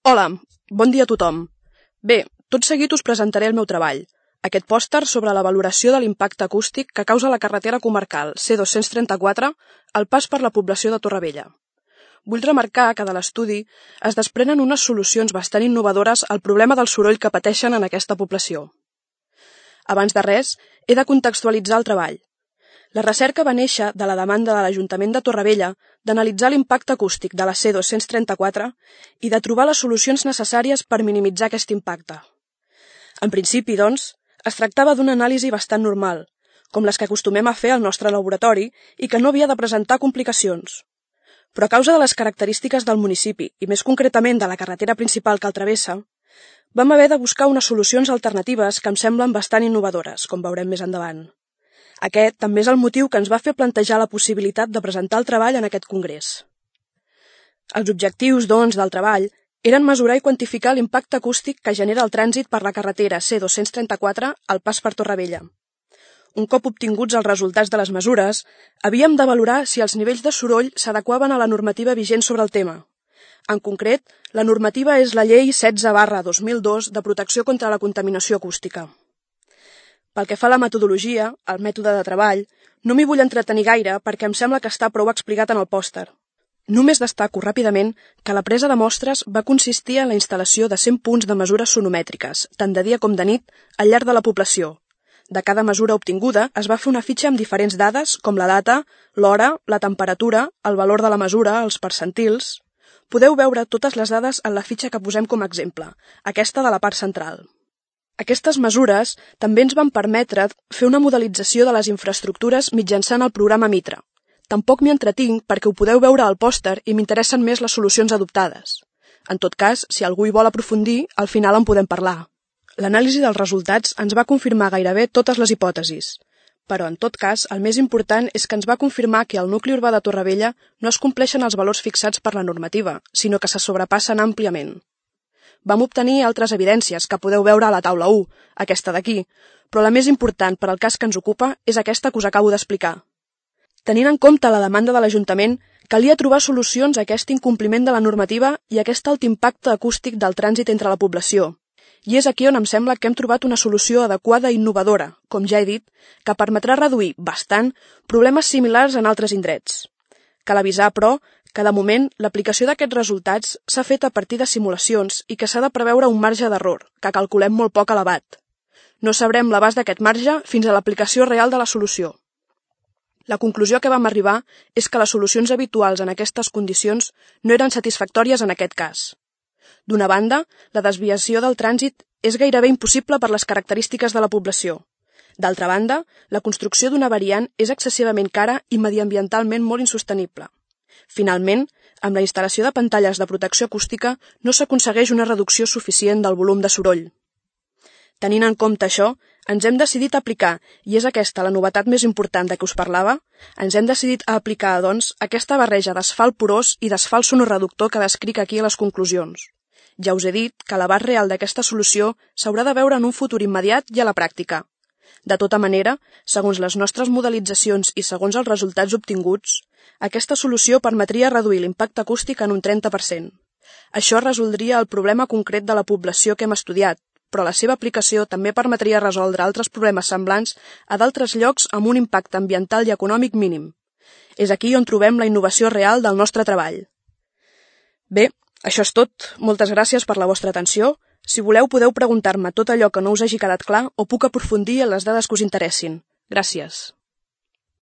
Hola, bon dia a tothom. Bé, tot seguit us presentaré el meu treball, aquest pòster sobre la valoració de l'impacte acústic que causa la carretera comarcal C234 al pas per la població de Torrevella. Vull remarcar que de l'estudi es desprenen unes solucions bastant innovadores al problema del soroll que pateixen en aquesta població. Abans de res, he de contextualitzar el treball. La recerca va néixer de la demanda de l'Ajuntament de Torrevella d'analitzar l'impacte acústic de la C234 i de trobar les solucions necessàries per minimitzar aquest impacte. En principi, doncs, es tractava d'una anàlisi bastant normal, com les que acostumem a fer al nostre laboratori i que no havia de presentar complicacions. Però a causa de les característiques del municipi i més concretament de la carretera principal que el travessa, vam haver de buscar unes solucions alternatives que em semblen bastant innovadores, com veurem més endavant. Aquest també és el motiu que ens va fer plantejar la possibilitat de presentar el treball en aquest congrés. Els objectius, doncs, del treball eren mesurar i quantificar l'impacte acústic que genera el trànsit per la carretera C234 al pas per Torrevella. Un cop obtinguts els resultats de les mesures, havíem de valorar si els nivells de soroll s'adequaven a la normativa vigent sobre el tema. En concret, la normativa és la Llei 16/2002 de protecció contra la contaminació acústica. Pel que fa a la metodologia, el mètode de treball, no m'hi vull entretenir gaire perquè em sembla que està prou explicat en el pòster. Només destaco ràpidament que la presa de mostres va consistir en la instal·lació de 100 punts de mesures sonomètriques, tant de dia com de nit, al llarg de la població. De cada mesura obtinguda es va fer una fitxa amb diferents dades com la data, l'hora, la temperatura, el valor de la mesura, els percentils. Podeu veure totes les dades en la fitxa que posem com a exemple, aquesta de la part central. Aquestes mesures també ens van permetre fer una modelització de les infraestructures mitjançant el programa Mitra. Tampoc m'hi entretinc perquè ho podeu veure al pòster i m'interessen més les solucions adoptades. En tot cas, si algú hi vol aprofundir, al final en podem parlar. L'anàlisi dels resultats ens va confirmar gairebé totes les hipòtesis. Però, en tot cas, el més important és que ens va confirmar que al nucli urbà de Torrevella no es compleixen els valors fixats per la normativa, sinó que se sobrepassen àmpliament. Vam obtenir altres evidències que podeu veure a la taula 1, aquesta d'aquí, però la més important per al cas que ens ocupa és aquesta que us acabo d'explicar. Tenint en compte la demanda de l'Ajuntament, calia trobar solucions a aquest incompliment de la normativa i a aquest alt impacte acústic del trànsit entre la població. I és aquí on em sembla que hem trobat una solució adequada i innovadora, com ja he dit, que permetrà reduir bastant problemes similars en altres indrets. Cal avisar, però, que de moment l'aplicació d'aquests resultats s'ha fet a partir de simulacions i que s'ha de preveure un marge d'error, que calculem molt poc elevat. No sabrem l'abast d'aquest marge fins a l'aplicació real de la solució. La conclusió a què vam arribar és que les solucions habituals en aquestes condicions no eren satisfactòries en aquest cas. D'una banda, la desviació del trànsit és gairebé impossible per les característiques de la població. D'altra banda, la construcció d'una variant és excessivament cara i mediambientalment molt insostenible. Finalment, amb la instal·lació de pantalles de protecció acústica no s'aconsegueix una reducció suficient del volum de soroll. Tenint en compte això, ens hem decidit a aplicar, i és aquesta la novetat més important de què us parlava, ens hem decidit a aplicar, doncs, aquesta barreja d'asfalt porós i d'asfalt sonoreductor que descric aquí a les conclusions. Ja us he dit que l'abast real d'aquesta solució s'haurà de veure en un futur immediat i a la pràctica. De tota manera, segons les nostres modelitzacions i segons els resultats obtinguts, aquesta solució permetria reduir l'impacte acústic en un 30%. Això resoldria el problema concret de la població que hem estudiat, però la seva aplicació també permetria resoldre altres problemes semblants a d'altres llocs amb un impacte ambiental i econòmic mínim. És aquí on trobem la innovació real del nostre treball. Bé, això és tot. Moltes gràcies per la vostra atenció. Si voleu, podeu preguntar-me tot allò que no us hagi quedat clar o puc aprofundir en les dades que us interessin. Gràcies.